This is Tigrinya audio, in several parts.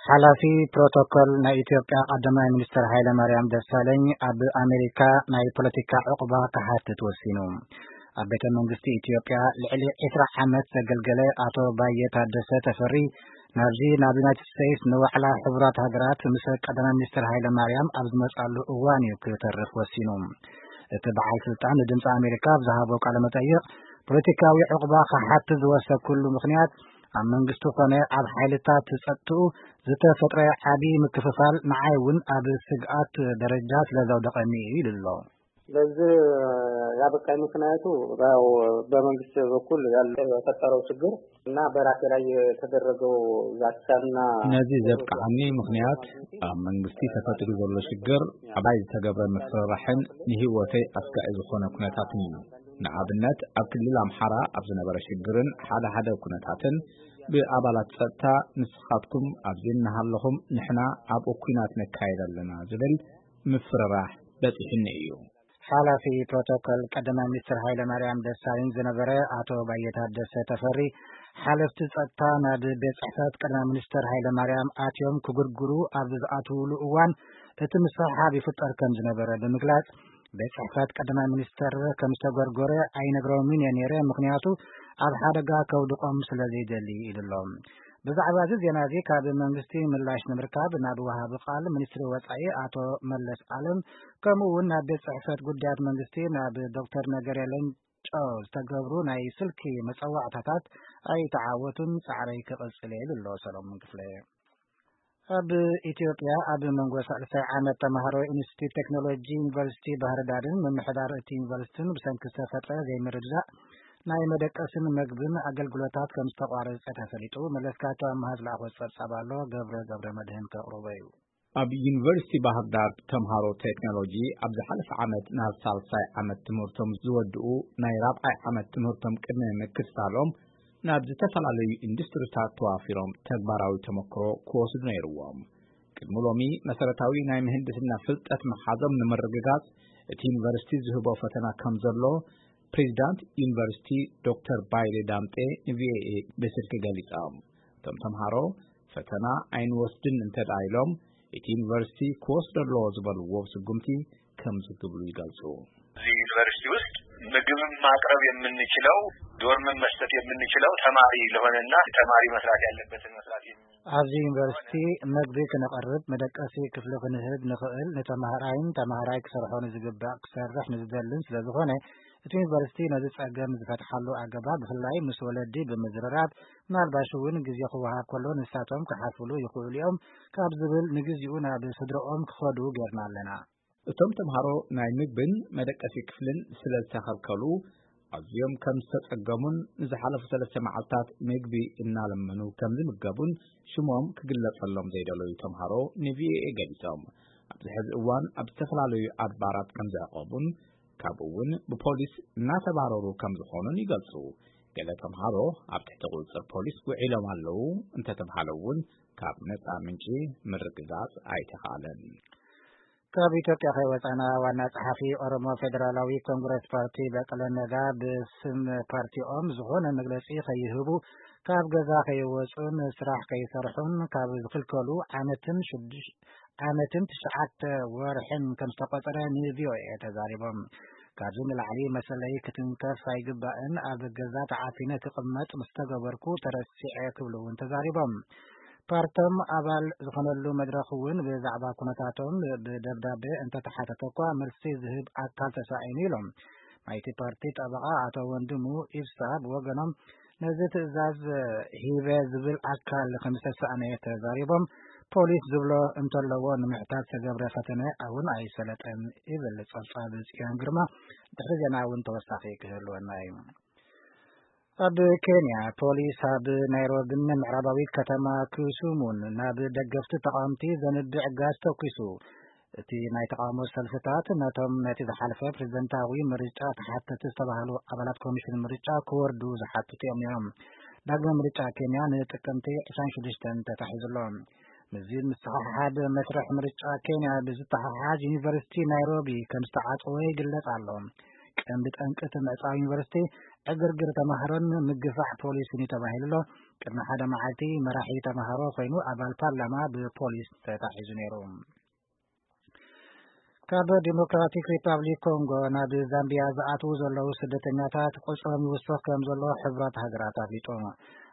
ሓላፊ ፕሮቶኮል ናይ ኢትዮጵያ ቀዳማይ ሚኒስትር ሃይለ ማርያም ደሳለኝ ኣብ ኣሜሪካ ናይ ፖለቲካ ዕቑባ ክሓትት ወሲኑ። ኣብ ቤተ መንግስቲ ኢትዮጵያ ልዕሊ ዕስራ ዓመት ዘገልገለ ኣቶ ባየ ታደሰ ተፈሪ ናብዚ ናብ ዩናይትድ ስቴትስ ንዋዕላ ሕቡራት ሃገራት ምስ ቀዳማይ ሚኒስትር ሃይለ ማርያም ኣብ ዝመጻሉ እዋን እዩ ክተርፍ ወሲኑ። እቲ በዓል ስልጣን ንድምፂ ኣሜሪካ ኣብ ዝሃቦ ቃለ መጠይቕ ፖለቲካዊ ዕቑባ ክሓትት ዝወሰንኩሉ ምኽንያት ኣብ መንግስቱ ኮነ ኣብ ሓይልታት ጸጥትኡ ዝተፈጥረ ዓቢ ምክፍፋል ንዓይ እውን ኣብ ስግኣት ደረጃ ስለ ዘውደቐኒ እዩ ኢሉ ኣሎ። ለዚ ያበቃኝ ምክንያቱ ያው በመንግስት በኩል ያለ የፈጠረው ችግር እና በራሴ ላይ የተደረገው ዛቻና ነዚ ዘብቅዓኒ ምኽንያት ኣብ መንግስቲ ተፈጢሩ ዘሎ ሽግር፣ ዓባይ ዝተገብረ ምፍርራሕን ንህይወተይ ኣስጋኢ ዝኾነ ኩነታትን እዩ። ንኣብነት ኣብ ክልል ኣምሓራ ኣብ ዝነበረ ሽግርን ሓደ ሓደ ኩነታትን ብኣባላት ጸጥታ ንስኻትኩም ኣብዚ እናሃለኹም ንሕና ኣብኡ ኲናት ነካይድ ኣለና ዝብል ምፍርራሕ በጺሑኒ እዩ። ሓላፊ ፕሮቶኮል ቀዳማይ ሚኒስትር ሃይለ ማርያም ደሳለኝ ዝነበረ ኣቶ ባየ ታደሰ ተፈሪ ሓለፍቲ ጸጥታ ናብ ቤት ጽሕፈት ቀዳማይ ሚኒስትር ሃይለ ማርያም ኣትዮም ክጉርጉሩ ኣብ ዝኣትውሉ እዋን እቲ ምስሕሓብ ይፍጠር ከም ዝነበረ ብምግላጽ ቤት ጽሕፈት ቀዳማይ ሚኒስትር ከም ዝተጎርጎረ ኣይነግሮምን እየ ነይረ፣ ምኽንያቱ ኣብ ሓደጋ ከውድቖም ስለ ዘይደሊ ኢሉ ኣሎ። ብዛዕባ እዚ ዜና እዚ ካብ መንግስቲ ምላሽ ንምርካብ ናብ ወሃቢ ቃል ሚኒስትሪ ወጻኢ ኣቶ መለስ ኣለም ከምኡ እውን ናብ ቤት ጽሕፈት ጉዳያት መንግስቲ ናብ ዶክተር ነገርያ ሌንጮ ዝተገብሩ ናይ ስልኪ መጸዋዕታታት ኣይተዓወቱን። ጻዕረይ ክቕጽል እየ ኢሉ ኣሎ ሰሎሞን ክፍለ። ኣብ ኢትዮጵያ ኣብ መንጎ ሳልሳይ ዓመት ተምሃሮ ኢንስቲትዩት ቴክኖሎጂ ዩኒቨርሲቲ ባህርዳርን ምምሕዳር እቲ ዩኒቨርሲቲን ብሰንኪ ዝተፈጥረ ዘይምርድዳእ ናይ መደቀስን መግብን ኣገልግሎታት ከም ዝተቋረጸ ተፈሊጡ። መለስካቸው ኣምሃ ዝለኣኾ ጸብጻብ ኣሎ፣ ገብረ ገብረ መድህን ከቕርቦ እዩ። ኣብ ዩኒቨርሲቲ ባህር ዳር ተምሃሮ ቴክኖሎጂ ኣብ ዝሓለፈ ዓመት ናብ ሳልሳይ ዓመት ትምህርቶም ዝወድኡ ናይ ራብዓይ ዓመት ትምህርቶም ቅድሚ ምክትታሎም ናብ ዝተፈላለዩ ኢንዱስትሪታት ተዋፊሮም ተግባራዊ ተመክሮ ክወስዱ ነይርዎም። ቅድሚ ሎሚ መሰረታዊ ናይ ምህንድስና ፍልጠት ምሓዞም ንምርግጋጽ እቲ ዩኒቨርሲቲ ዝህቦ ፈተና ከም ዘሎ ፕሬዚዳንት ዩኒቨርሲቲ ዶክተር ባይሌ ዳምጤ ንቪኦኤ ብስልኪ ገሊጾም። እቶም ተምሃሮ ፈተና ኣይንወስድን እንተ ደኣ ኢሎም እቲ ዩኒቨርሲቲ ክወስዶ ኣለዎ ዝበልዎ ስጉምቲ ከምዚ ክብሉ ይገልጹ። እዚህ ዩኒቨርሲቲ ውስጥ ምግብም ማቅረብ የምንችለው ዶርምም መስጠት የምንችለው ተማሪ ለሆነና ተማሪ መስራት ያለበትን መስራት የሚ- ኣብዚ ዩኒቨርሲቲ መግቢ ክነቐርብ መደቀሲ ክፍሊ ክንህብ ንኽእል ንተማሃራይን ተማሃራይ ክሰርሖ ንዝግባእ ክሰርሕ ንዝደልን ስለ ዝኾነ እቲ ዩኒቨርሲቲ ነዚ ጸገም ዝፈትሓሉ ኣገባብ ብፍላይ ምስ ወለዲ ብምዝርራብ ምናልባሽ እውን ግዜ ክወሃብ ከሎ ንሳቶም ክሓስብሉ ይኽእሉ እዮም ካብ ዝብል ንግዚኡ ናብ ስድረኦም ክኸዱ ጌርና ኣለና። እቶም ተምሃሮ ናይ ምግብን መደቀሲ ክፍልን ስለ ዝተኸልከሉ ኣዝዮም ከም ዝተጸገሙን ንዝሓለፉ ሰለስተ መዓልታት ምግቢ እናለመኑ ከም ዝምገቡን ሽሞም ክግለጸሎም ዘይደለዩ ተምሃሮ ንቪኦኤ ገሊጾም። ኣብዚ ሕዚ እዋን ኣብ ዝተፈላለዩ ኣድባራት ከም ዝዕቆቡን ካብኡ እውን ብፖሊስ እናተባረሩ ከም ዝኾኑን ይገልጹ። ገለ ተምሃሮ ኣብ ትሕቲ ቁጽጽር ፖሊስ ውዒሎም ኣለዉ እንተተብሃለ እውን ካብ ነጻ ምንጪ ምርግጋጽ ኣይተኻእለን። ካብ ኢትዮጵያ ከይወጻና ዋና ጸሓፊ ኦሮሞ ፌዴራላዊ ኮንግረስ ፓርቲ በቀለ ነጋ ብስም ፓርቲኦም ዝኾነ መግለጺ ከይህቡ ካብ ገዛ ከይወጹን ስራሕ ከይሰርሑን ካብ ዝኽልከሉ ዓመትን ሽዱሽ ዓመትን ትሽዓተ ወርሕን ከም ዝተቆጸረ ንቪኦኤ ተዛሪቦም። ካብዚ ንላዕሊ መሰለይ ክትንከፍ ኣይግባእን፣ ኣብ ገዛ ተዓፊነ ክቕመጥ ምስ ተገበርኩ ተረሲዐ ክብሉ እውን ተዛሪቦም። ፓርቶም ኣባል ዝኾነሉ መድረኽ እውን ብዛዕባ ኩነታቶም ብደብዳቤ እንተተሓተተ እኳ መልሲ ዝህብ ኣካል ተሳኢኑ ኢሎም። ናይቲ ፓርቲ ጠበቓ ኣቶ ወንድሙ ኢብሳ ብወገኖም ነዚ ትእዛዝ ሂበ ዝብል ኣካል ከም ዝተሳእነ ተዛሪቦም። ፖሊስ ዝብሎ እንተለዎ ንምሕታት ዝተገብረ ፈተነ እውን ኣይሰለጠን ይብል ጸብጻብ ጽዮን ግርማ። ድሕሪ ዜና እውን ተወሳኺ ክህልወና እዩ። ኣብ ኬንያ ፖሊስ ኣብ ናይሮቢን ምዕራባዊት ከተማ ክሱሙን ናብ ደገፍቲ ተቃወምቲ ዘንብዕ ጋዝ ተኩሱ። እቲ ናይ ተቃውሞ ሰልፍታት ነቶም ነቲ ዝሓለፈ ፕሬዝደንታዊ ምርጫ ተሓተቲ ዝተባህሉ ኣባላት ኮሚሽን ምርጫ ክወርዱ ዝሓትቱ እዮም ነይሮም። ዳግመ ምርጫ ኬንያ ንጥቅምቲ ዕስራን ሽዱሽተን ተታሒዙ ኣሎ። ምስዚ ምስሕሓብ መስርሕ ምርጫ ኬንያ ብዝተሓሓዝ ዩኒቨርሲቲ ናይሮቢ ከም ዝተዓጸወ ይግለጽ ኣሎ። ቀንዲ ጠንቂ እቲ ምዕጻው ዩኒቨርሲቲ ዕግርግር ተማሃሮን ምግፋዕ ፖሊስን እዩ ተባሂሉ ኣሎ። ቅድሚ ሓደ መዓልቲ መራሒ ተምሃሮ ኮይኑ ኣባል ፓርላማ ብፖሊስ ተታሒዙ ነይሩ። ካብ ዲሞክራቲክ ሪፓብሊክ ኮንጎ ናብ ዛምቢያ ዝኣትዉ ዘለዉ ስደተኛታት ቁጽሮም ይውስኽ ከም ዘሎ ሕቡራት ሃገራት ኣፍሊጡ።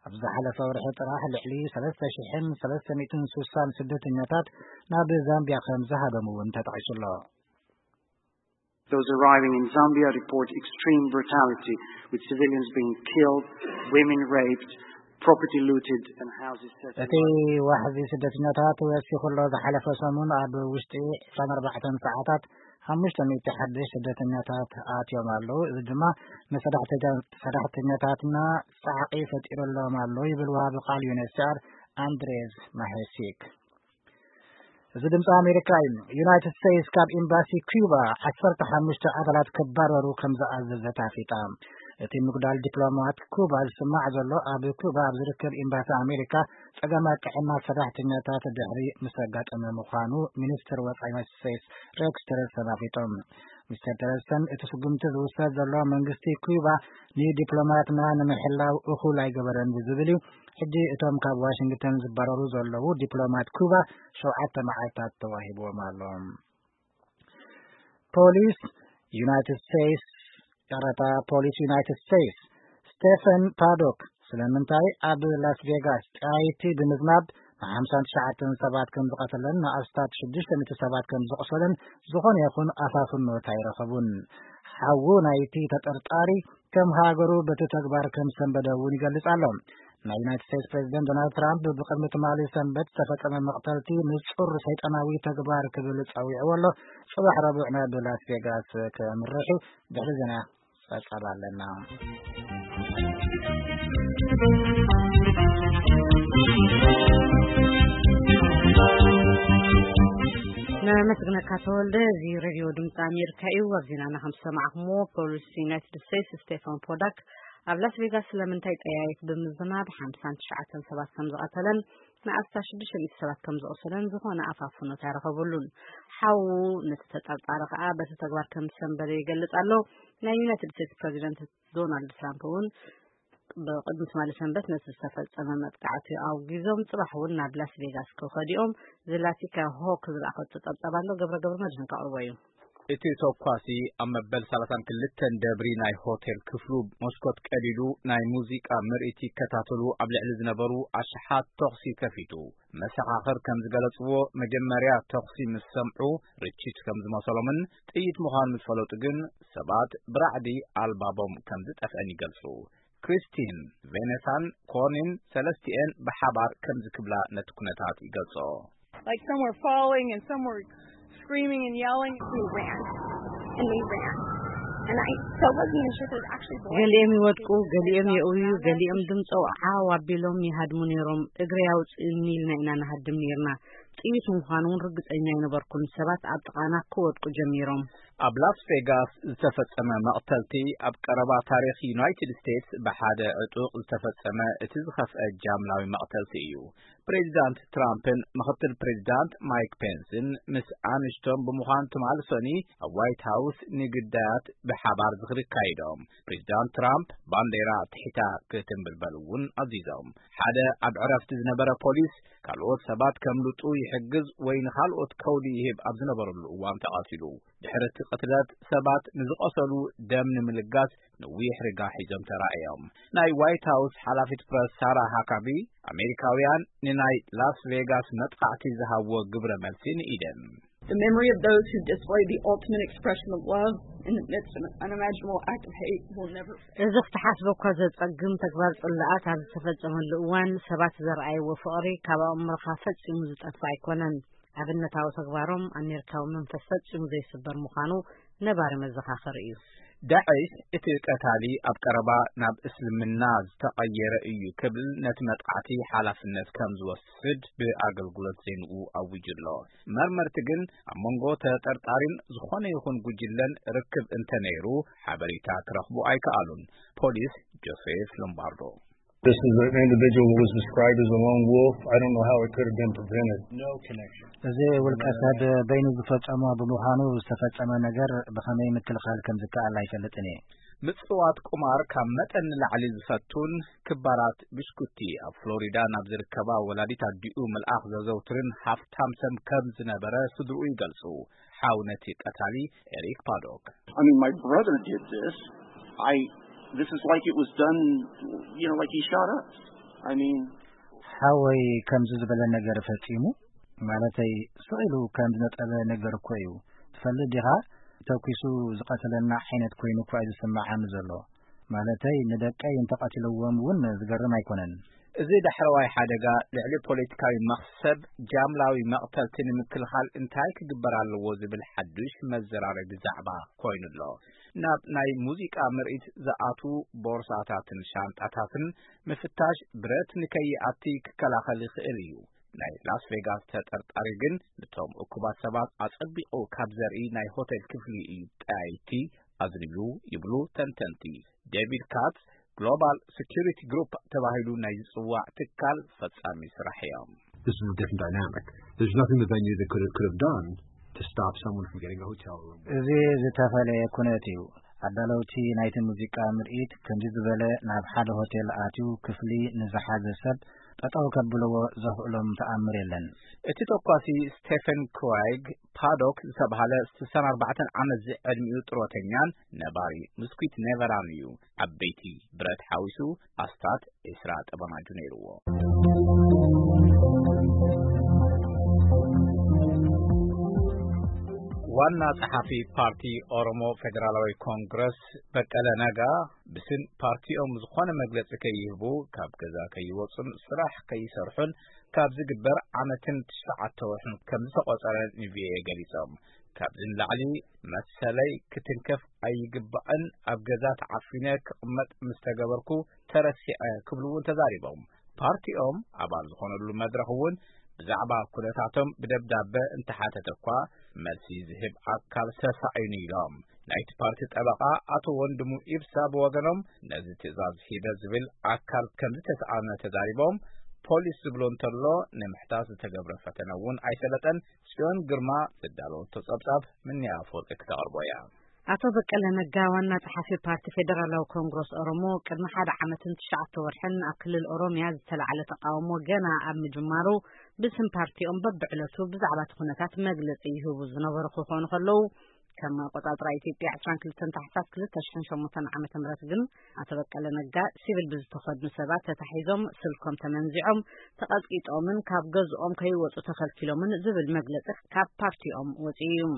ኣብ ዝሓለፈ ወርሒ ጥራሕ ልዕሊ ሰለስተ ሽሕን ሰለስተ ሚእትን ስሳን ስደተኛታት ናብ ዛምቢያ ከም ዝሃደሙ እውን ተጠቒሱ ኣሎ። Those arriving in Zambia report extreme brutality, with civilians being killed, women raped, property looted, and houses set እቲ ዋሕዚ ስደተኛታት ወሲኹ ኣሎ። ዝሓለፈ ሰሙን ኣብ ውሽጢ ዕስራን ኣርባዕተን ሰዓታት ሓሙሽተ ሚእቲ ሓድሽ ስደተኛታት ኣትዮም ኣለዉ። እዚ ድማ ንሰዳሕተኛ- ሰዳሕተኛታትና ጻዕቒ ፈጢሩሎም ኣሎ ይብል ወሃቢ ቃል ዩኤንኤችሲኣር ኣንድሬዝ ማሄሲክ። እዚ ድምፂ ኣሜሪካ እዩ። ዩናይትድ ስቴትስ ካብ ኤምባሲ ኩባ ዓሰርተ ሓሙሽተ ኣባላት ክባረሩ ከም ዝኣዘዘት ኣፍሊጣ። እቲ ምጉዳል ዲፕሎማት ኩባ ዝስማዕ ዘሎ ኣብ ኩባ ኣብ ዝርከብ ኤምባሲ ኣሜሪካ ጸገማት ጥዕና ሰራሕተኛታት ድሕሪ ምስ ኣጋጠመ ምዃኑ ሚኒስትር ወጻኢ ዩናይትድ ስቴትስ ሬክስ ቲለርሰን ኣፍሊጦም። ሚስተር ቲለርሰን እቲ ስጉምቲ ዝውሰድ ዘሎ መንግስቲ ኩባ ንዲፕሎማትና ንምሕላው እኹል ኣይገበረን ብዝብል እዩ። ሕጂ እቶም ካብ ዋሽንግተን ዝባረሩ ዘለዉ ዲፕሎማት ኩባ ሸውዓተ መዓልታት ተዋሂብዎም ኣሎ። ፖሊስ ዩናይትድ ስቴትስ፣ ይቕረታ፣ ፖሊስ ዩናይትድ ስቴትስ ስቴፈን ፓዶክ ስለምንታይ ኣብ ላስ ቬጋስ ጣይቲ ብምዝናብ ንሓምሳን ትሽዓተን ሰባት ከም ዝቐተለን ንኣስታት ሽዱሽተ ሚእቲ ሰባት ከም ዘቑሰለን ዝኾነ ይኹን ኣፋፍኖት ኣይረኸቡን። ሓዉ ናይቲ ተጠርጣሪ ከም ሃገሩ በቲ ተግባር ከም ሰንበደ እውን ይገልጽ ኣሎ። ናይ ዩናይትድ ስቴትስ ፕሬዚደንት ዶናልድ ትራምፕ ብቅድሚ ትማሊ ሰንበት ዝተፈጸመ መቕተልቲ ንጹር ሰይጣናዊ ተግባር ክብል ጸዊዕዎ ኣሎ። ጽባሕ ረቡዕ ናብ ላስ ቬጋስ ከምርሕ እዩ። ድሕሪ ዜና ጸብጻብ ኣለና። ነመስግነካ ተወልደ። እዚ ሬድዮ ድምፂ ኣሜሪካ እዩ። ኣብ ዜናና ከም ዝሰማዕኩምዎ ፖሊስ ዩናይትድ ስቴትስ ስቴፋን ፖዳክ ኣብ ላስ ቬጋስ ስለምንታይ ጠያይት ብምዝናብ ሓምሳን ትሽዓተን ሰባት ከም ዝቐተለን ንኣስታት ሽዱሽተ ሚእቲ ሰባት ከም ዘቑሰለን ዝኾነ ኣፋፍኖት ኣይረኸብሉን። ሓዉ ነቲ ተጠርጣሪ ከዓ በቲ ተግባር ከም ዝሰንበደ ይገልጽ ኣሎ። ናይ ዩናይትድ ስቴትስ ፕሬዚደንት ዶናልድ ትራምፕ እውን ብቅድሚ ትማሊ ሰንበት ነቲ ዝተፈጸመ መጥቃዕቲ ኣውጊዞም ጽባሕ እውን ናብ ላስ ቬጋስ ክኸዱ እዮም። ዝላቲካ ሆክ ዝለኣኸቶ ጸብጻብ ኣሎ። ገብረ ገብረ መድህን ከቕርቦ እዩ። እቲ ተኳሲ ኣብ መበል ሰላሳን ክልተን ደብሪ ናይ ሆቴል ክፍሉ መስኮት ቀዲዱ ናይ ሙዚቃ ምርኢት ይከታተሉ ኣብ ልዕሊ ዝነበሩ ኣሽሓት ተኹሲ ከፊቱ። መሰኻኽር ከም ዝገለጽዎ፣ መጀመርያ ተኹሲ ምስ ሰምዑ ርችት ከም ዝመሰሎምን ጥይት ምዃኑ ምስ ፈለጡ ግን ሰባት ብራዕዲ ኣልባቦም ከም ዝጠፍአን ይገልጹ። ክሪስቲን፣ ቬነሳን ኮርኒን ሰለስቲኤን ብሓባር ከምዚ ክብላ ነቲ ኩነታት ይገልጽኦ። Like some were falling and some were screaming and yelling. We ran and we ran. And I still wasn't even sure if it was actually bullets. ገሊኦም ይወድቁ፣ ገሊኦም የእውዩ፣ ገሊኦም ድምፆ ዓው ኣቢሎም ይሃድሙ ነይሮም። እግሪ ኣውፅእኒ ኢልና ኢና ንሃድም ነይርና። ጥይት ምዃኑ እውን ርግፀኛ ኣይነበርኩን። ሰባት ኣብ ጥቓና ክወድቁ ጀሚሮም። ኣብ ላስ ቬጋስ ዝተፈጸመ መቕተልቲ ኣብ ቀረባ ታሪኽ ዩናይትድ ስቴትስ ብሓደ ዕጡቕ ዝተፈጸመ እቲ ዝኸፍአ ጃምላዊ መቕተልቲ እዩ። ፕሬዚዳንት ትራምፕን ምኽትል ፕሬዚዳንት ማይክ ፔንስን ምስ ኣንሽቶም ብምዃን ትማሊ ሰኑይ ኣብ ዋይት ሃውስ ንግዳያት ብሓባር ዝኽሪ ኣካይዶም። ፕሬዚዳንት ትራምፕ ባንዴራ ትሒታ ክትንብልበል እውን ኣዚዞም። ሓደ ኣብ ዕረፍቲ ዝነበረ ፖሊስ ካልኦት ሰባት ከምልጡ ይሕግዝ ወይ ንኻልኦት ከውሊ ይህብ ኣብ ዝነበረሉ እዋን ተቐቲሉ። ድሕሪ እቲ ቅትለት ሰባት ንዝቐሰሉ ደም ንምልጋስ ነዊሕ ሪጋ ሒዞም ተራእዮም። ናይ ዋይት ሃውስ ሓላፊት ፕረስ ሳራ ሃካቢ ኣሜሪካውያን ንናይ ላስ ቬጋስ መጥቓዕቲ ዝሃብዎ ግብረ መልሲ ንኢደን። The memory of those who displayed the ultimate expression of love in the midst of an unimaginable act of hate will never fade. እዚ ክትሓስቦ እኳ ዘጸግም ተግባር ጽልኣት ኣብ ዝተፈጸመሉ እዋን ሰባት ዘርኣይዎ ፍቕሪ ካብ ኣእምሮኻ ፈጺሙ ዝጠፍእ ኣይኮነን። ኣብነታዊ ተግባሮም ኣሜሪካዊ መንፈስ ፈጺሙ ዘይስበር ምዃኑ ነባሪ መዘኻኸሪ እዩ። ዳዕሽ እቲ ቀታሊ ኣብ ቀረባ ናብ እስልምና ዝተቐየረ እዩ ክብል ነቲ መጥቃዕቲ ሓላፍነት ከም ዝወስድ ብኣገልግሎት ዜንኡ ኣዊጁ ኣሎ። መርመርቲ ግን ኣብ መንጎ ተጠርጣሪን ዝኾነ ይኹን ጉጅለን ርክብ እንተነይሩ ሓበሬታ ክረኽቡ ኣይከኣሉን። ፖሊስ ጆሴፍ ሎምባርዶ This is an individual who was described as a lone wolf. I don't know how it could have been prevented. No connection. እዚ ውልቀ ሰብ በይኑ ዝፈጸሞ ብምዃኑ ዝተፈጸመ ነገር ብኸመይ ምክልኻል ከም ዝከኣል ኣይፈልጥን እየ። ምጽዋት ቁማር ካብ መጠን ንላዕሊ ዝፈቱን ክባራት ብሽኩቲ ኣብ ፍሎሪዳ ናብ ዝርከባ ወላዲት ኣዲኡ ምልኣኽ ዘዘውትርን ሃፍታም ሰብ ከም ዝነበረ ስድርኡ ይገልጹ። ሓው ነቲ ቀታሊ ኤሪክ ፓዶክ። I mean, my brother did this. I, this is like it was done, you know, like he shot us. I mean, ሓወይ ከምዚ ዝበለ ነገር ፈጺሙ፣ ማለተይ ስቕ ኢሉ ከም ዝነጠበ ነገር እኮ እዩ። ትፈልጥ ዲኻ? ተኲሱ ዝቐተለና ዓይነት ኮይኑ እኳ እዩ ዝስምዓኒ ዘሎ። ማለተይ ንደቀይ እንተቐቲልዎም እውን ዝገርም ኣይኮነን። እዚ ዳሕረዋይ ሓደጋ ልዕሊ ፖለቲካዊ መኽሰብ ጃምላዊ መቕተልቲ ንምክልኻል እንታይ ክግበር ኣለዎ ዝብል ሓዱሽ መዘራረቢ ዛዕባ ኮይኑ ኣሎ። ናብ ናይ ሙዚቃ ምርኢት ዝኣትዉ ቦርሳታትን ሻንጣታትን ምፍታሽ ብረት ንከይኣቲ ክከላኸል ይኽእል እዩ። ናይ ላስ ቬጋስ ተጠርጣሪ ግን ነቶም እኩባት ሰባት ኣጸቢቑ ካብ ዘርኢ ናይ ሆቴል ክፍሊ እዩ ጠያይቲ ኣዝንብሉ ይብሉ ተንተንቲ። ዴቪድ ካትስ ግሎባል ሴኩሪቲ ግሩፕ ተባሂሉ ናይ ዝጽዋዕ ትካል ፈጻሚ ስራሕ እዮም። This is a different dynamic. There's nothing the venue that could have, could have done to stop someone from getting a hotel room. እዚ ዝተፈለየ ኩነት እዩ። ኣዳለውቲ ናይቲ ሙዚቃ ምርኢት ከምዚ ዝበለ ናብ ሓደ ሆቴል ኣትዩ ክፍሊ ንዝሓዘ ሰብ ጠጠው ከብልዎ ዘኽእሎም ተኣምር የለን። እቲ ተኳሲ ስቴፈን ክዋይግ ፓዶክ ዝተባህለ ስሳን ኣርባዕተን ዓመት ዝዕድሚኡ ጥሮተኛን ነባሪ ምስኩት ኔቨራን እዩ። ዓበይቲ ብረት ሓዊሱ ኣስታት ዒስራ ጠበናጁ ነይርዎ። ዋና ጸሓፊ ፓርቲ ኦሮሞ ፌደራላዊ ኮንግረስ በቀለ ነጋ ብስም ፓርቲኦም ዝኾነ መግለጺ ከይህቡ፣ ካብ ገዛ ከይወጹን ስራሕ ከይሰርሑን ካብ ዝግበር ዓመትን ትሽዓተ ወርሕን ከም ዝተቖጸረ ንቪኦኤ ገሊጾም። ካብዚ ንላዕሊ መሰለይ ክትንከፍ ኣይግባእን፣ ኣብ ገዛ ተዓፊነ ክቕመጥ ምስ ተገበርኩ ተረሲዐ ክብሉ እውን ተዛሪቦም። ፓርቲኦም ኣባል ዝኾነሉ መድረኽ እውን ብዛዕባ ኩነታቶም ብደብዳበ እንተሓተተ እኳ መልሲ ዝህብ ኣካል ተሳኢኑ ኢሎም። ናይቲ ፓርቲ ጠበቓ ኣቶ ወንድሙ ኢብሳ ብወገኖም ነዚ ትእዛዝ ሂበ ዝብል ኣካል ከም ዝተስኣነ ተዛሪቦም፣ ፖሊስ ዝብሎ እንተሎ ንምሕታት ዝተገብረ ፈተነ እውን ኣይሰለጠን። ጽዮን ግርማ ዝዳለወቶ ጸብጻብ ምንያ ኣፈወርቂ ክተቕርቦ እያ። ኣቶ በቀለ ነጋ ዋና ጸሓፊ ፓርቲ ፌደራላዊ ኮንግረስ ኦሮሞ ቅድሚ ሓደ ዓመትን ትሽዓተ ወርሕን ኣብ ክልል ኦሮሚያ ዝተላዕለ ተቃውሞ ገና ኣብ ምጅማሩ ብስም ፓርቲኦም በብዕለቱ ብዛዕባ እቲ ኩነታት መግለጺ ይህቡ ዝነበሩ ክኾኑ ከለዉ፣ ከም ኣቆጻጽራ ኢትዮጵያ ዕስራን ክልተን ታሕሳስ ክልተ ሽሕን ሸሞንተን ዓመተ ምህረት ግን ኣቶ በቀለ ነጋ ሲቪል ብዝተኸድኑ ሰባት ተታሒዞም፣ ስልኮም ተመንዚዖም፣ ተቐጥቂጦምን ካብ ገዝኦም ከይወጹ ተኸልኪሎምን ዝብል መግለጺ ካብ ፓርቲኦም ወጺኡ እዩ።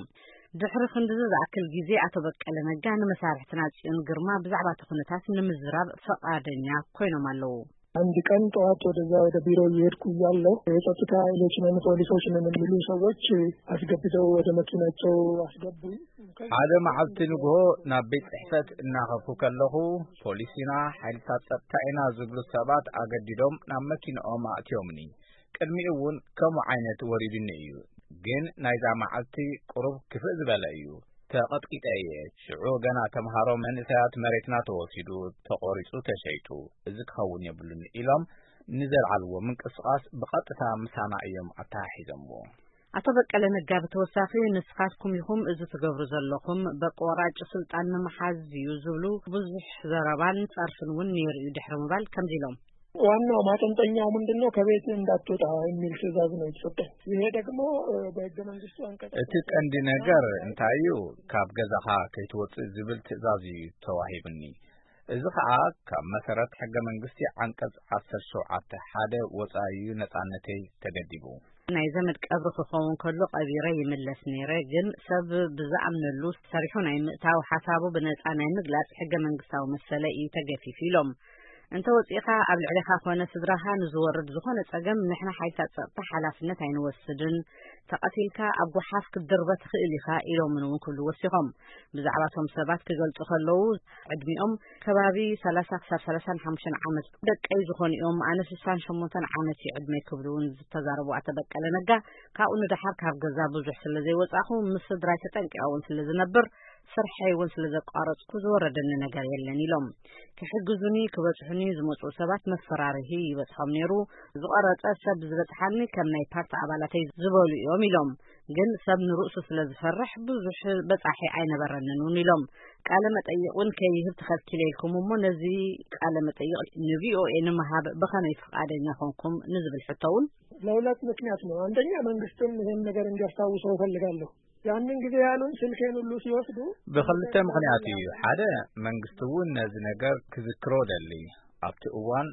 ድሕሪ ክንድዚ ዝኣክል ግዜ ኣቶ በቀለ ነጋ ንመሳርሕትና ጽዮን ግርማ ብዛዕባ እቲ ኩነታት ንምዝራብ ፈቓደኛ ኮይኖም ኣለዉ። አንድ ቀን ጠዋት ወደዛ ወደ ቢሮ እየሄድኩ እያለሁ የጸጥታ ኃይሎች ነን ፖሊሶች ነን የሚሉ ሰዎች አስገብተው ወደ መኪናቸው አስገቡኝ። ሓደ መዓልቲ ንግሆ ናብ ቤት ጽሕፈት እናኸፉ ከለኹ፣ ፖሊስ ኢና፣ ሓይልታት ጸጥታ ኢና ዝብሉ ሰባት ኣገዲዶም ናብ መኪንኦም ኣእትዮምኒ። ቅድሚኡ እውን ከምኡ ዓይነት ወሪዱኒ እዩ። ግን ናይዛ መዓልቲ ቁሩብ ክፍእ ዝበለ እዩ። ተቐጥቂጠ እየ። ሽዑ ገና ተምሃሮ መንእሰያት መሬትና ተወሲዱ፣ ተቖሪጹ፣ ተሸይጡ። እዚ ክኸውን የብሉን ኢሎም ንዘልዓልዎ ምንቅስቓስ ብቐጥታ ምሳና እዮም ኣተሓሒዞምዎ። ኣቶ በቀለ ነጋ ብተወሳኺ ንስኻትኩም ኢኹም እዚ ትገብሩ ዘለኹም፣ በቂ ወራጭ ስልጣን ንምሓዝ እዩ ዝብሉ ብዙሕ ዘረባን ጸርፍን እውን ነይሩ እዩ ድሕሪ ምባል ከምዚ ኢሎም። ዋናው ማጠንጠኛው ምንድን ነው? ከቤት እንዳትወጣ የሚል ትዕዛዝ ነው የተሰጠኝ። ይሄ ደግሞ በህገ መንግስቱ አንቀጽ እቲ ቀንዲ ነገር እንታይ እዩ? ካብ ገዛኻ ከይትወጽእ ዝብል ትእዛዝ እዩ ተዋሂብኒ። እዚ ኸኣ ካብ መሰረት ሕገ መንግስቲ ዓንቀጽ ዓሰርተ ሸውዓተ ሓደ ወጻኢ እዩ ነጻነተይ ተገዲቡ። ናይ ዘመድ ቀብሪ ክኸውን ከሎ ቀቢረ ይምለስ ነይረ፣ ግን ሰብ ብዝኣምነሉ ሰሪሑ ናይ ምእታው ሓሳቡ ብነጻ ናይ ምግላጽ ሕገ መንግስታዊ መሰለ እዩ ተገፊፉ ኢሎም። እንተ ወጺእኻ ኣብ ልዕሌኻ ኮነ ስድራኻ ንዝወርድ ዝኾነ ጸገም ንሕና ሓይልታት ጸጥታ ሓላፍነት ኣይንወስድን። ተቐቲልካ ኣብ ጓሓፍ ክትድርበ ትኽእል ኢኻ ኢሎምን እውን ክብሉ ወሲኾም። ብዛዕባ እቶም ሰባት ክገልጹ ከለዉ ዕድሚኦም ከባቢ ሰላሳ ክሳብ ሰላሳን ሓሙሽተን ዓመት ደቀይ ዝኾኑ እዮም። ኣነ ስሳን ሸሞንተን ዓመት እዩ ዕድመይ ክብሉ እውን ዝተዛረቡ ኣቶ በቀለ ነጋ ካብኡ ንደሓር ካብ ገዛ ብዙሕ ስለ ዘይወጻኹ ምስ ስድራይ ተጠንቂቐ እውን ስለ ዝነብር ስርሐይ እውን ስለ ዘቋረጽኩ ዝወረደኒ ነገር የለን ኢሎም። ክሕግዙኒ ክበጽሑኒ ዝመጽኡ ሰባት መፈራርሂ ይበጽሖም ነይሩ። ዝቆረጸ ሰብ ዝበጽሓኒ ከም ናይ ፓርቲ ኣባላተይ ዝበሉ እዮም ኢሎም። ግን ሰብ ንርእሱ ስለ ዝፈርሕ ብዙሕ በጻሒ ኣይነበረንን እውን ኢሎም። ቃለ መጠይቕ እውን ከይህብ ተኸልኪለ ኢልኩም እሞ ነዚ ቃለ መጠይቕ ን ቪ ኦ ኤ ንምሃብ ብኸመይ ፍቓደኛ ኮንኩም ንዝብል ሕቶ እውን ለሁለት ምክንያት ነው። አንደኛ መንግስትም ይሄን ነገር እንዲያስታውሰው እፈልጋለሁ። ያንን ጊዜ ያሉን ስልኬን ሁሉ ሲወስዱ ብኽልተ ምኽንያት እዩ። ሓደ መንግስቲ እውን ነዚ ነገር ክዝክሮ ደሊ። ኣብቲ እዋን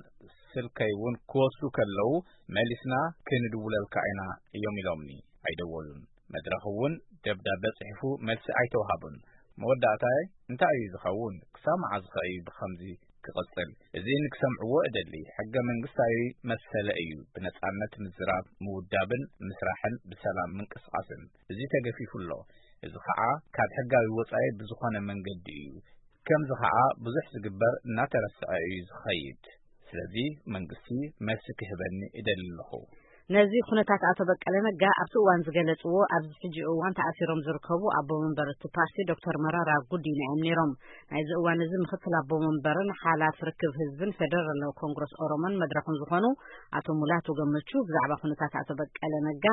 ስልከይ እውን ክወስዱ ከለዉ መሊስና ክንድውለልካ ኢና እዮም ኢሎምኒ። ኣይደወሉን። መድረኽ እውን ደብዳበ ጽሒፉ መልሲ ኣይተውሃቡን። መወዳእታይ እንታይ እዩ ዝኸውን? ክሳብ መዓዝ ኸ እዩ ብኸምዚ ክቕጽል? እዚ ንክሰምዕዎ እደሊ። ሕገ መንግስታዊ መሰለ እዩ ብነጻነት ምዝራብ፣ ምውዳብን ምስራሕን ብሰላም ምንቅስቓስን። እዚ ተገፊፉ ኣሎ። እዚ ኸዓ ካብ ሕጋዊ ወጻኢ ብዝኾነ መንገዲ እዩ። ከምዚ ኸዓ ብዙሕ ዝግበር እናተረስዐ እዩ ዝኸይድ። ስለዚ መንግስቲ መልሲ ክህበኒ እደሊ ኣለኹ። ነዚ ኩነታት ኣቶ በቀለ ነጋ ኣብቲ እዋን ዝገለጽዎ፣ ኣብዚ ሕጂ እዋን ተኣሲሮም ዝርከቡ ኣቦ መንበር እቲ ፓርቲ ዶክተር መራራ ጉዲና እዮም ነይሮም። ናይዚ እዋን እዚ ምክትል ኣቦ መንበርን ሓላፍ ርክብ ህዝብን ፌደራላዊ ኮንግረስ ኦሮሞን መድረኽን ዝኾኑ ኣቶ ሙላቱ ገመቹ ብዛዕባ ኩነታት ኣቶ በቀለ ነጋ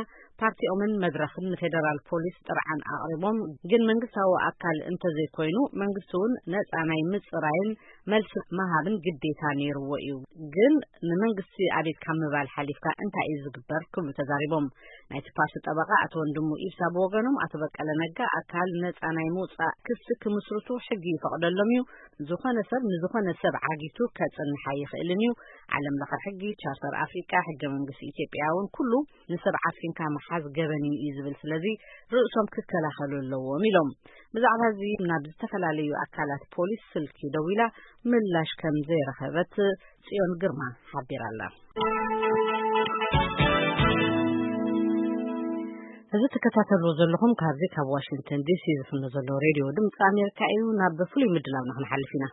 ፓርቲኦምን መድረኽን ንፌደራል ፖሊስ ጥርዓን ኣቕሪቦም፣ ግን መንግስታዊ ኣካል እንተዘይኮይኑ መንግስቲ እውን ነፃ ናይ ምፅራይን መልሲ ምሃብን ግዴታ ነይርዎ እዩ። ግን ንመንግስቲ ኣቤት ካብ ምባል ሓሊፍካ እንታይ እዩ ዝግበር ክብሉ ተዛሪቦም። ናይቲ ፓርቲ ጠበቓ ኣቶ ወንድሙ ኢብሳ ብወገኖም ኣቶ በቀለ ነጋ ኣካል ነፃ ናይ ምውፃእ ክሲ ክምስርቱ ሕጊ ይፈቕደሎም እዩ። ዝኾነ ሰብ ንዝኾነ ሰብ ዓጊቱ ከፅንሕ ኣይኽእልን እዩ። ዓለም ለኸ ሕጊ፣ ቻርተር ኣፍሪቃ፣ ሕገ መንግስቲ ኢትዮጵያ እውን ኩሉ ንሰብ ዓፊንካ ምሓዝ ገበን እዩ እዩ ዝብል። ስለዚ ርእሶም ክከላኸሉ ኣለዎም ኢሎም። ብዛዕባ እዚ ናብ ዝተፈላለዩ ኣካላት ፖሊስ ስልኪ ደዊላ ምላሽ ከም ዘይረኸበት ጽዮን ግርማ ሓቢራ ኣላ። እዚ ትከታተልዎ ዘለኹም ካብዚ ካብ ዋሽንግተን ዲ ሲ ዝፍኖ ዘሎ ሬድዮ ድምፂ ኣሜሪካ እዩ። ናብ ፍሉይ ምድላው ንክንሓልፍ ኢና።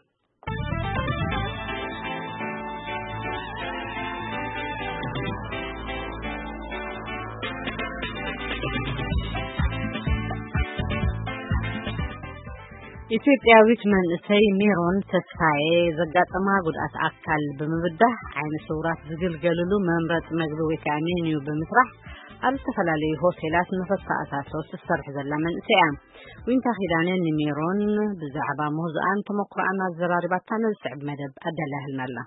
ኢትዮጵያዊት መንእሰይ ሜሮን ተስፋዬ ዘጋጠማ ጉድኣት ኣካል ብምብዳህ ዓይነ ስውራት ዝግልገልሉ መምረፂ መግቢ ወይ ከዓ ሜንዩ ብምስራሕ ኣብ ዝተፈላለዩ ሆቴላት ንኽተኣታቶ ትሰርሕ ዘላ መንእሰይ እያ። ዊንታ ኪዳነ ንሜሮን ብዛዕባ ምህዞኣን ተመኩሮኣን ኣዘራሪባታ ነዚ ስዕብ መደብ ኣዳላያ ኣላ።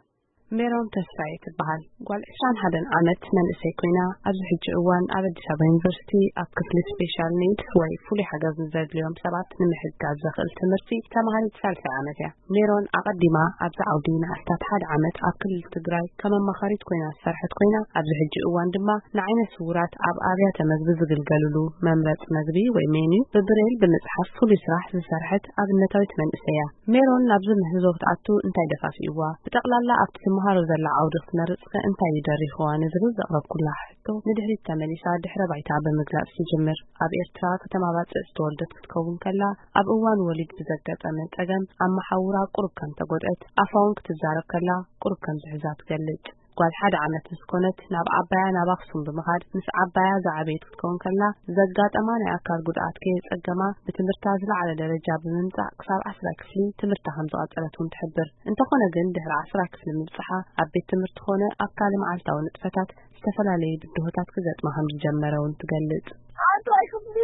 ሜሮን ተስፋዬ ትበሃል። ጓል ዕስራን ሓደን ዓመት መንእሰይ ኮይና፣ ኣብዚ ሕጂ እዋን ኣብ ኣዲስ ኣበባ ዩኒቨርሲቲ ኣብ ክፍሊ ስፔሻል ኒድ ወይ ፍሉይ ሓገዝ ንዘድልዮም ሰባት ንምሕጋዝ ዘኽእል ትምህርቲ ተማሃሪት ሳልሳይ ዓመት እያ። ሜሮን ኣቐዲማ ኣብዚ ዓውዲ ንኣስታት ሓደ ዓመት ኣብ ክልል ትግራይ ከም ኣማኻሪት ኮይና ዝሰርሐት ኮይና፣ ኣብዚ ሕጂ እዋን ድማ ንዓይነ ስውራት ኣብ ኣብያተ መግቢ ዝግልገልሉ መምረፂ መግቢ ወይ ሜንዩ ብብሬል ብምፅሓፍ ፍሉይ ስራሕ ዝሰርሐት ኣብነታዊት መንእሰይ እያ። ሜሮን ናብዚ ምህዞ ክትኣቱ እንታይ ደፋፊእዋ? ብጠቕላላ ኣብቲ ትመሃሮ ዘላ ዓውዲ ክትመርጽ ከ እንታይ እዩ ደሪኽዋ? ንዝብል ዘቕረብኩላ ሕቶ ንድሕሪት ተመሊሳ ድሕረ ባይታ ብምግላጽ ትጅምር። ኣብ ኤርትራ ከተማ ባጽዕ ዝተወልደት ክትከውን ከላ፣ ኣብ እዋን ወሊድ ብዘጋጠመ ጸገም ኣብ መሓውራ ቁሩብ ከም ተጎድአት፣ ኣፋ እውን ክትዛረብ ከላ ቁሩብ ከም ዝሕዛ ትገልጽ። ጓል ሓደ ዓመት ምስ ኮነት ናብ ዓባያ ናብ ኣኽሱም ብምኻድ ምስ ዓባያ ዝዓበየት ክትከውን ከላ ዘጋጠማ ናይ ኣካል ጉድኣት ከየጸገማ ብትምህርታ ዝለዓለ ደረጃ ብምምጻእ ክሳብ ዓስራ ክፍሊ ትምህርታ ከም ዝቐጸለት እውን ትሕብር። እንተኾነ ግን ድሕሪ ዓስራ ክፍሊ ምብጽሓ ኣብ ቤት ትምህርቲ ኮነ ኣብ ካልእ መዓልታዊ ንጥፈታት ዝተፈላለዩ ብድሆታት ክገጥማ ከም ዝጀመረ እውን ትገልጽ። ዓስራ ክፍሊ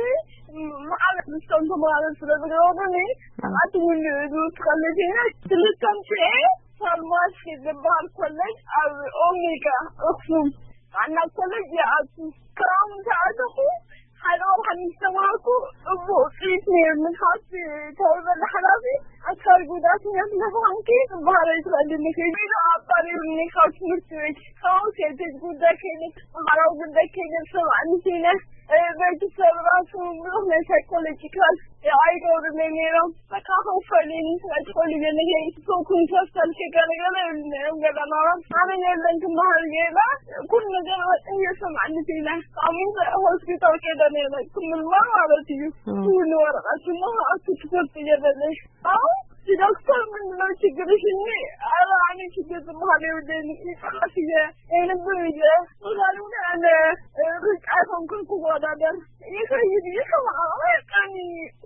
መዓልቲ ምስቶም ተማሃሮ ስለ ዝገበሩኒ ኣቲ እውን ዝውስኸለይ ኮይነ ክልተ ኣምፅኤ ፋርማሲ ዝበሃል ኮሌጅ ኣብ ኦሜጋ ኣኽሱም ጥዕና ኮሌጅ ይኣቱ። ካብኡ ምስ ኣተኹ ሓደ ወርሒ ምስ ተማሃርኩ ጽቡቕ ውፅኢት ነይሩኒ። ካብቲ ተወልበለ ሓላፊ ኣካል ጉዳተኛ ስለ ዝኾንኪ ክበሃል ኣይትኽእልን ኢኺ ኢሉ ኣባሪሩኒ ካብ ትምህርቲ ቤት። ካብኡ ከይደ ጉዳይ ከይደ ማሕበራዊ ጉዳይ ከይደ ዝሰማዕኒ ኮይነ ቤተሰብ ራሱ ብዙሕ ናይ ሳይኮሎጂካል ኣይገብሩለይ ነይሮም። በቃ ከውፈልኒ ትፈልጥ ፈልገ ነገር ይትፈኩን ፈሰል ከገለገለ ይብሉ ነይሮም። ገዛ ማማ ኣነ የለን ክመሃር ገይላ ኩሉ ነገር ወጥን የሰማዕኒ ፊና ኣሚን ሆስፒታል ከደ ነይረ ክምልማ ማለት እዩ። እም። ኩሉ ወረቐት እሞ ኣቱ ትፈልጥ የበለሽ። ኣሁን ዶክተር ምንድነው ችግርሽ? እኔ ኧረ እኔ ችግር ዝመሃል የብለኝ። ይቅርታ ብዬ የንብብ ብዬ ሶሻል ሚዲያ አለ ሩጫ ኮንኩን ክወዳደር ይኸይድ እዩ። ከማኣ ቀኒ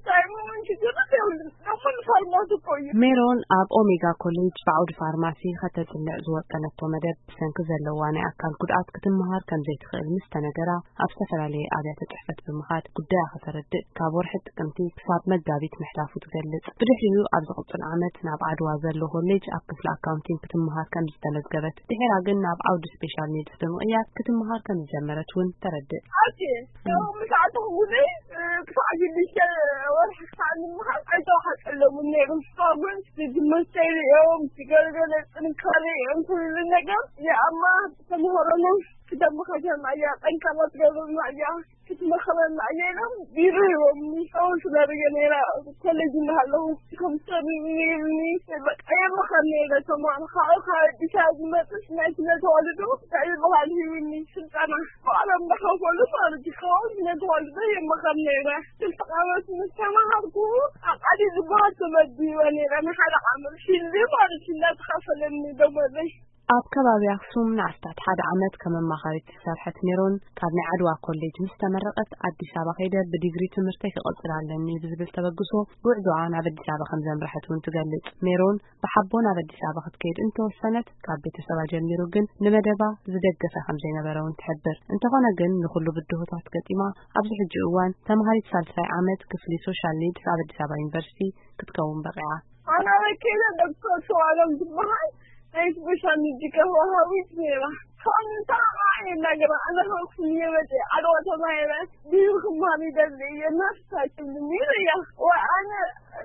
ሳይሞን ችግር የብሉን። ደሞ ንፋርማሲ እኮ እዩ። ሜሮን ኣብ ኦሜጋ ኮሌጅ ብዓውዲ ፋርማሲ ከተጽንዕ ዝወጠነቶ መደብ ብሰንኪ ዘለዋ ናይ ኣካል ጉድኣት ክትመሃር ከም ዘይትኽእል ምስ ተነገራ፣ ኣብ ዝተፈላለየ ኣብያተ ጽሕፈት ብምኻድ ጉዳያ ከተረድእ ካብ ወርሒ ጥቅምቲ ክሳብ መጋቢት ምሕላፉ ትገልጽ። ብድሕሪኡ ኣብ ዝቕጽል ዓመት ናብ ዓድዋ ዘሎ ኮሌጅ ኣብ ክፍሊ ኣካውንቲንግ ክትመሃር ከም ዝተመዝገበት፣ ድሒራ ግን ናብ ዓውዲ ስፔሻል ኒድስ ብምቕያር ክትመሃር ከም ዝጀመረት እውን ተረድእ። ኣቲ ያው ምስ ኣተኹ ግዜ ክሳዕ ሽዱሽተ ወርሒ ክሳዕ ንምሃር ኣይተዋሓጠሎምን ነይሩ። እስካብ ግን ዝመስተይ ሪኦም ዝገለገለ ጥንካሬ ሪኦም ኩሉ ነገር የኣማ ተምሃሮና ክደምኻቸና እያ፣ ጠንካራ ትገብርና እያ፣ ክትመኽረና እያ ኢሎም ቢሮ ሂቦምኒ። ሰው ስለ ርየ ነይራ ኮሌጅ እናሃለኹ ኮምፒተር ይብኒ በቃ የመኸር ነይረ። ተማን ካብኡ ካብ ኣዲስ ኣበባ ዝመፅስ ናይ ስነ ተዋልዶ እንታይ ዝበሃል ሂብኒ ስልጠና ባዕሎም እናኸፈሉ ማለት እዩ። ካብኡ ስነ ተዋልዶ የመኸር ነይረ። ክልተ ዓመት ምስ ተማሃርኩ ኣቃዲ ዝበሃል ተመዲበ ነይረ። ንሓደ ዓመት ፊልድ ማለት እዩ እናተኸፈለኒ ደሞዘይ። ኣብ ከባቢ ኣኽሱም ንኣስታት ሓደ ዓመት ከም ኣማኻሪት ዝሰርሐት ሜሮን፣ ካብ ናይ ዓድዋ ኮሌጅ ምስ ተመረቐት ኣዲስ ኣበባ ከይደ ብዲግሪ ትምህርተይ ክቕጽል ኣለኒ ብዝብል ተበግሶ፣ ጉዕዞኣ ናብ ኣዲስ ኣበባ ከም ዘምርሐት እውን ትገልጽ። ሜሮን ብሓቦ ናብ ኣዲስ ኣበባ ክትከይድ እንተወሰነት፣ ካብ ቤተሰባ ጀሚሩ ግን ንመደባ ዝደገፈ ከም ዘይነበረ እውን ትሕብር። እንተኾነ ግን ንኹሉ ብድሆታት ገጢማ ኣብዚ ሕጂ እዋን ተምሃሪት ሳልሳይ ዓመት ክፍሊ ሶሻል ኒድስ ኣብ ኣዲስ ኣበባ ዩኒቨርሲቲ ክትከውን በቒዓ። ኣነ በኪለ ዶክተር ሰዋሎም ዝበሃል ናይ ስፔሻል ኒድ ወሃቢት ነይራ። ካብ ምንታይ ከዓ ይናገር፣ ኣነ ከክፍል እየ መፅእ፣ ዓድዋ ተማሂረ፣ ቢሮ ክማር ይደሊ እየ፣ ነፍስ ኣይትብልኒ ኢለያ። ወይ ኣነ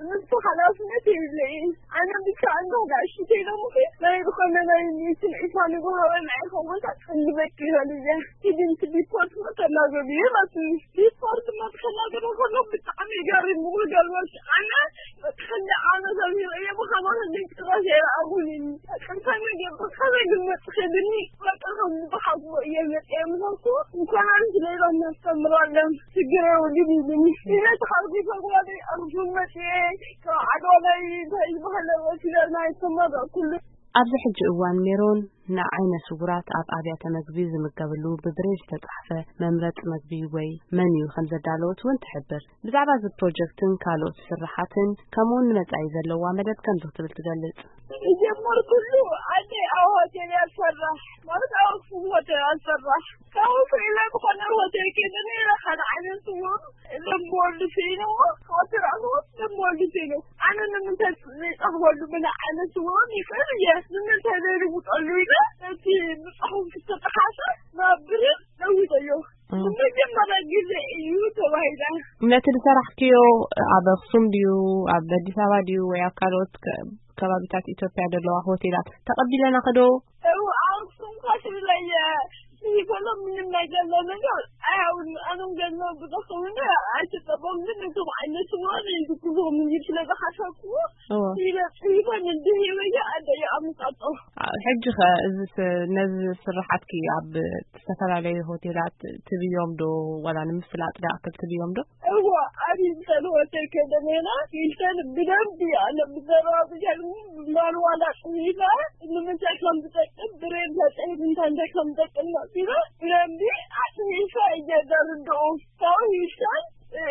ንሱ ሓላፍነት የብለይን። ኣነ ብቻ እንዶ ጋሽ ኢሎም ናይ ዝኾነ ናይ ሚእትን ዒስራን ይጎሃበና ይኸውን፣ ክንዲ በኪ ይበል እየ። ሂድን ሪፖርት ተናገሩ ይላትኒ። ሪፖርት መትከናገሩ ከሎ ብጣዕሚ ገሪሙ፣ ክገልበስ ኣነ ክንዲ ዓመት ኣልሚሮ እየ፣ ብኸማን ክንዲ ጭራሽ ኣይረኣኹን። እንታይ ነገር ብኸመይ ግን መፅኸ ድኒ በቃ ከም ብሓጎ እየ መፅየ ምሳሱ። እንኳን ስለ ኢሎም ነስተምራለን ችግር የብሉን ይብሉኒ። ኢለ ተሓጒሰ ጓለይ ኣኽሱም መፅየ፣ ካብ ዓድዋ ናይ እንታይ ዝበሃለ ወሲደ ናይ ተመረቕኩሉ። ኣብዚ ሕጂ እዋን ሜሮን ንዓይነ ስውራት ኣብ ኣብያተ መግቢ ዝምገብሉ ብብሬል ዝተጻሕፈ መምረጺ መግቢ ወይ መኒዩ ከም ዘዳለወት እውን ትሕብር። ብዛዕባ እዚ ፕሮጀክትን ካልኦት ስርሓትን ከምኡውን ንመጻኢ ዘለዋ መደብ ከምዚ ክትብል ትገልጽ። ዝጀመርኩሉ ኣደይ ኣብ ሆቴል እያ ትሰርሕ፣ ማለት ኣብ ኣኽሱም ሆቴል እያ ትሰርሕ። ካብኡ ስኢለ ዝኾነ ሆቴል ከይደ ነይረ፣ ሓደ ዓይነት ስውር ደንበወልዲ ስኢነ እሞ፣ ካብኡ ተረኣኹ ደንበወልዲ ስኢነ። ኣነ ንምንታይ ዘይጸኽበሉ ብናይ ዓይነት ስውሮም ይኽእል እየ፣ ንምንታይ ዘይልውጠሉ ኢለ ነቲ ብጽሑፍ ዝተጠሓሰ ናብ ብሬል ለዊጠዮ። እም። ንመጀመርያ ግዜ እዩ ተባሂላ። ነቲ ዝሰራሕክዮ ኣብ ኣኽሱም ድዩ፣ ኣብ ኣዲስ ኣበባ ድዩ፣ ወይ ኣብ ካልኦት ከ-፣ ከባቢታት ኢትዮጵያ ዘለዋ ሆቴላት ተቐቢለናኺ ዶ? እው፣ ኣብ ኣኽሱም እኳ ትብለየ፣ ይበሎ ምንም ነገር ለነገር ኣያውን ኣነም ገንዘብ ብዘኸውን ኣይተጠቀምኩ፣ ግን እቶም ዓይነት ስውሮም እዩ ዝግብኦም እንጂ ስለ ዝሓሰብኩዎ፣ እወ። ኢለ ጽሒፈ ንድሂበየ ኣደየ ኣምጻጦ። አ-፣ ሕጂ ኸ እዚስ፣ ነዚ ስርሓትኪ ኣብ ዝተፈላለዩ ሆቴላት ትብዮም ዶ፣ ዋላ ንምፍላጥ ዝኣክል ትብዮም ዶ? እወ፣ ኣብ ሂልተን ሆቴል ከይደ ነይረ። ሂልተን ብደንቢ ኣነ ብዘረባ ብቻ ማንዋላ ጽሒፈ ንምንታይ ከም ዝጠቅም፣ ብሬን ተጽሒፍ እንታይ እንታይ ከም ዝጠቅም መጺፈ ብደንቢ ኣጽሒፈ እየ ዘርድኦም። ካብኡ ሂልተን፣ እ፣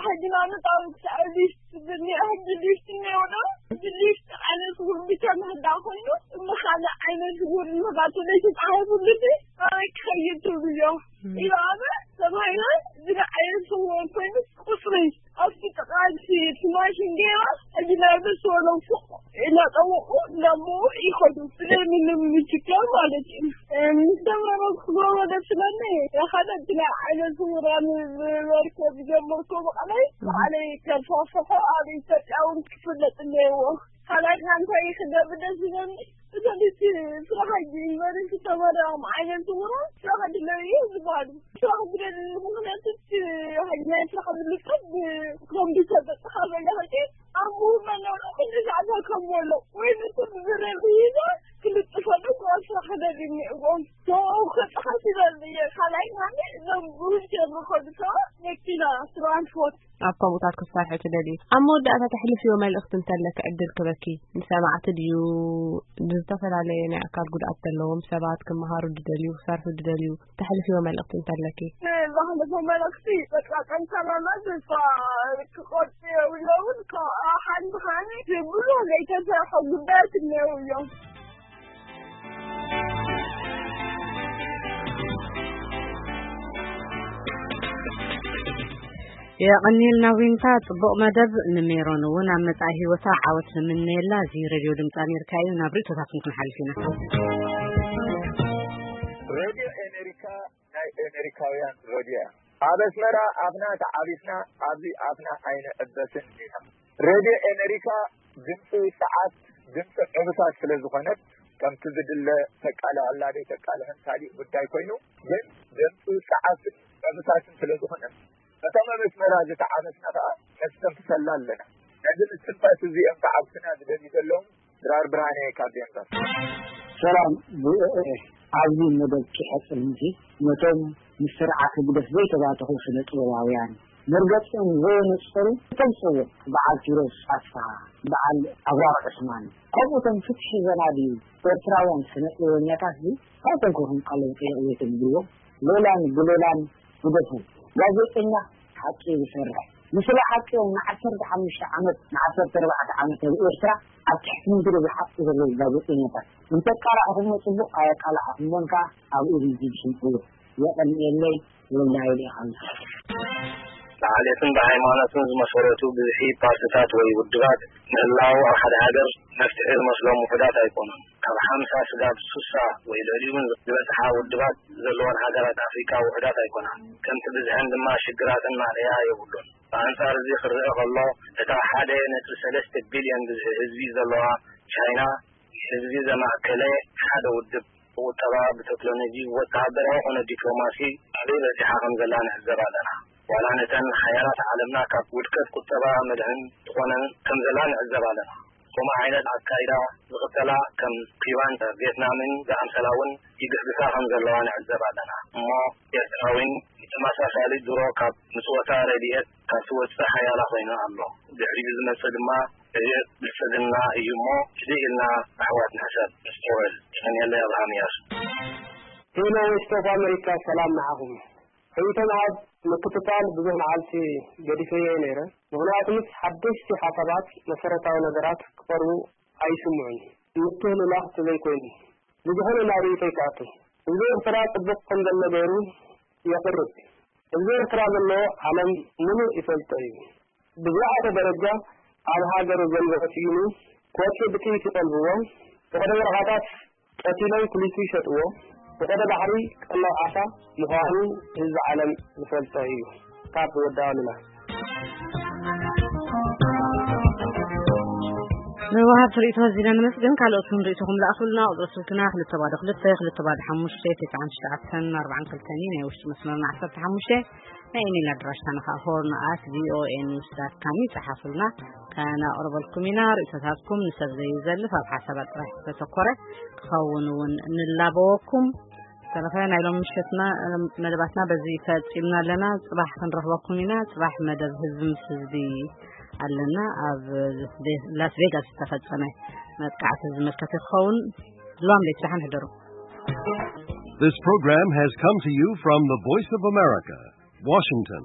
ሕጂ ንኣብነት ኣብ ክሳዕ ሊስት ብኒ-፣ ሕጂ ሊስት እኒኦ ዶ? ሕጂ ሊስት ዓይነት ስውር ብቻ ምህላው ኮይኑ፣ እሞ ካልእ ዓይነት ስውር ንኽኣቱ ዘይተጻሒፉሉ ሲ ኣበይ ክኸይድ ትብልዮ? እም። ኢሉ ኣነ ተባሂለ፣ እዚ ዓይነት ስውር ኮይኑ ቁጽሪ ኣብቲ ጥቓ እቲ ማሽን ገይራ፣ ሕጂ ናብ ደስ ዝበሎም ሱቕ እናጠወቑ እናንብቡ ይኸዱ። ብዘይ ምንም ችግር ማለት እዩ። እ፣ ምስ ተመረቕኩ ክገብሮ ደስ ይብለኒ። ሓደ እቲ ናይ ዓይነ ስውራን ዝመርከብ ጀመርኩ ብቐለይ፣ እም። ባዕለይ ከስፋሕፍሖ ኣብ ኢትዮጵያ እውን ክፍለጥ እኒሄዎ። ካልኣይ ከኣ እንታይ ክገብር ደስ ይብለኒ? እቶም እቲ ስራሕ ሕጂ ዩኒቨርሲቲ ተመሪቖም ዓይነ ስውራን ስራሕ ድለዩ እዩ ዝበሃሉ። ስራሕ ዝደልዩ ምኽንያት እቲ ሕጂ ናይ ስራሕ ምልክት ብኮምፒውተር በፅኻ በለ ሕጂ ኣንብቡ መናውራ ኩሉ ሰዓት ከም ዘሎ ወይ ንሱ ብዝረብ ሒዛ ክልጥፈሉ እኳ ስራሕ ክደልዩ እኒአዎም። ሰው ክፅሓፍ ይደሊ እየ። ካልኣይ ከኣ እዞም ብዊልቸር ዝኸዱ ሰባት መኪና ትራንስፖርት ኣብ ከምኡታት ክትሰርሒ ትደልዩ? ኣብ መወዳእታ ተሕልፍዮ መልእኽቲ እንተለኪ ዕድል ክበኪ፣ ንሰማዕቲ ድዩ፣ ንዝተፈላለየ ናይ ኣካል ጉድኣት ዘለዎም ሰባት፣ ክመሃሩ ዝደልዩ፣ ክሰርሑ ዝደልዩ፣ ተሕልፍዮ መልእኽቲ እንተለኪ? ዘሕልፎ መልእኽቲ በቃ ጠንካራና ተስፋ ክቆርጽ የብሎምን። ካብ ሓንቲ ሓኒ ብሎ ዘይተሰርሐ ጉዳያት እነው እዮም። የቐንየልና ዊንታ፣ ጽቡቕ መደብ። ንሜሮን እውን ኣብ መጻኢ ህይወታ ዓወት ንምነየላ። እዚ ሬድዮ ድምፂ ኣሜሪካ እዩ። ናብ ርእቶታትን ክንሓልፍ ኢና። ሬድዮ ኣሜሪካ ናይ ኣሜሪካውያን ሬድዮ እያ። ኣብ ኣስመራ ኣፍና ተዓቢስና፣ ኣብዚ ኣፍና ኣይንዕበስን ኢና። ሬድዮ ኣሜሪካ ድምፂ ውፅዓት፣ ድምፂ ዕብታት ስለ ዝኾነት፣ ከምቲ ዝድለ ተቃልዐላ ደይ ተቃልዐን ካሊእ ጉዳይ ኮይኑ፣ ግን ድምፂ ውፅዓት ዕብታትን ስለ ዝኾነት፣ ከተማ ኣስመራ ዝተዓበስና ከዓ ነስተንፍሰላ ኣለና። ነዚ ምስትንፋስ እዚኦም ተዓብስና ዝደልዩ ዘለዉ ድራር ብርሃነ ካብ ዴንቨር። ሰላም ቪኦኤ፣ ኣብዚ መደብ ኪሐጽን እንጂ ነቶም ምስ ስርዓት ህግደፍ ዘይተባተኹ ስነ ጥበባውያን መርገጺኦም ዘየነጸሩ እቶም ጽውዕ በዓል ኪሮስ ኣስፍሃ፣ በዓል ኣብራር ዑስማን፣ ከምኡቶም ፍትሒ ዘናድዩ ኤርትራውያን ስነ ጥበበኛታት እዚ ካብ ተንኮኹም ቃሎም ጠየቕ ዘይትብልዎ ሌላን ጉሌላን ግደፉ። ጋዜጠኛ ሓቂ ዝሰርሕ፣ ንስለ ሓቂ እዮም ንዓሰርተ ሓሙሽተ ዓመት ንዓሰርተ ኣርባዕተ ዓመት ኣብ ኤርትራ ኣብ ትሕቲ ምድሪ ዝሓቁ ዘለዉ ጋዜጠኛታት። እንተቃላዕኹሞ ጽቡቕ፣ ኣየቃላዕኹሞን ከኣ ኣብ ኡሪጂ ዝሽምዕዎ። የቐንየለይ። ወልዳይ ዲኻ። ብዓሌትን ብሃይማኖትን ዝመሰረቱ ብዝሒ ፓርትታት ወይ ውድባት ምህላው ኣብ ሓደ ሃገር መፍትሒ ዝመስሎም ውሑዳት ኣይኮኑን። ካብ ሓምሳ ስጋብ ሱሳ ወይ ልዕሊኡ እውን ዝበጽሓ ውድባት ዘለወን ሃገራት ኣፍሪካ ውሑዳት ኣይኮናን። ከምቲ ብዝሐን ድማ ሽግራትን ማእለያ የብሉን። ብኣንጻር እዚ ክረአ ከሎ እታ ሓደ ነጥቢ ሰለስተ ቢልዮን ብዝሒ ህዝቢ ዘለዋ ቻይና ህዝቢ ዘማእከለ ሓደ ውድብ ብቁጠባ፣ ብቴክኖሎጂ፣ ብወተሃደራዊ ኮነ ዲፕሎማሲ ኣበይ በጺሓ ከም ዘላ ንዕዘብ ኣለና። ዋላ ነተን ሓያላት ዓለምና ካብ ውድቀት ቁጠባ መድሕን ትኾነን ከም ዘላ ንዕዘብ ኣለና። ከምኡ ዓይነት ኣካይዳ ዝኽተላ ከም ኩባን ቬትናምን ዝኣምሰላ እውን ይግስግሳ ከም ዘለዋ ንዕዘብ ኣለና። እሞ ኤርትራ እውን ብተመሳሳሊ ድሮ ካብ ምጽወታ ረድኤት ካብ ትወጽእ ሓያላ ኮይኑ ኣሎ። ድሕሪኡ ዝመጽእ ድማ ረድኤት ብልጽግና እዩ እሞ ህድእ ኢልና ኣሕዋት ንሕሰብ፣ ነስተውዕል። የቐንየለይ ኣብርሃም እያሱ። ሄሎ ቮይስ ኦፍ ኣመሪካ፣ ሰላም ንዓኹም። ርእይቶም ኣብ ምክትታል ብዙሕ መዓልቲ ገዲፈዮ እየ ነይረ። ምኽንያቱ ምስ ሓደሽቲ ሓሳባት መሰረታዊ ነገራት ክቐርቡ ኣይስምዑን፣ ምትህልላኽ ተዘይኮይኑ። ብዝኾነ ናብ ርእይቶይ ክኣቱ። ህዝቢ ኤርትራ ጽቡቕ ከም ዘሎ ገይሩ የቕርብ። ህዝቢ ኤርትራ ዘሎ ዓለም ምሉእ ይፈልጦ እዩ። ብዝለዓለ ደረጃ ኣብ ሃገሩ ገንዘብ ስኢኑ ክወጽእ ብጥይት ይጠልብዎ፣ ፈቐዶ በረኻታት ቀቲሎም ክሊቱ ይሸጥዎ፣ ፈቐዶ ባሕሪ ቀለብ ዓሳ ምዃኑ ህዝቢ ዓለም ዝፈልጦ እዩ። ካብ ወዲ ኣሉላ። ንወሃብቲ ርእይቶ ኣዚና ነመስግን። ካልኦት እውን ርእይቶኹም ለኣኹልና። ቁጽሪ ስልክና ክልተ ባዶ ክልተ፣ ክልተ ባዶ ሓሙሽተ፣ ትስዓን ትሽዓተን ኣርባዓን ክልተን እዩ። ናይ ውሽጢ መስመርና ዓሰርተ ሓሙሽተ። ናይ ኢሜይል ኣድራሻና ከዓ ሆርን ኣት ቪኦኤ ኒውስ ዳት ካም እዩ። ጸሓፉልና፣ ከነቕርበልኩም ኢና። ርእይቶታትኩም ንሰብ ዘዩዘልፍ፣ ኣብ ሓሳባት ጥራሕ ዝተተኮረ ክኸውን እውን ንላበወኩም። ዝተረፈ ናይ ሎም ምሸትና መደባትና በዚ ፈጺምና ኣለና። ጽባሕ ክንረኽበኩም ኢና። ጽባሕ መደብ ህዝቢ ምስ ህዝቢ ኣለና። ኣብ ላስ ቬጋስ ዝተፈጸመ መጥቃዕቲ ዝምልከት ክኸውን። ሎም ለይቲ ደሓን ሕደሩ። This program has come to you from the Voice of America, Washington.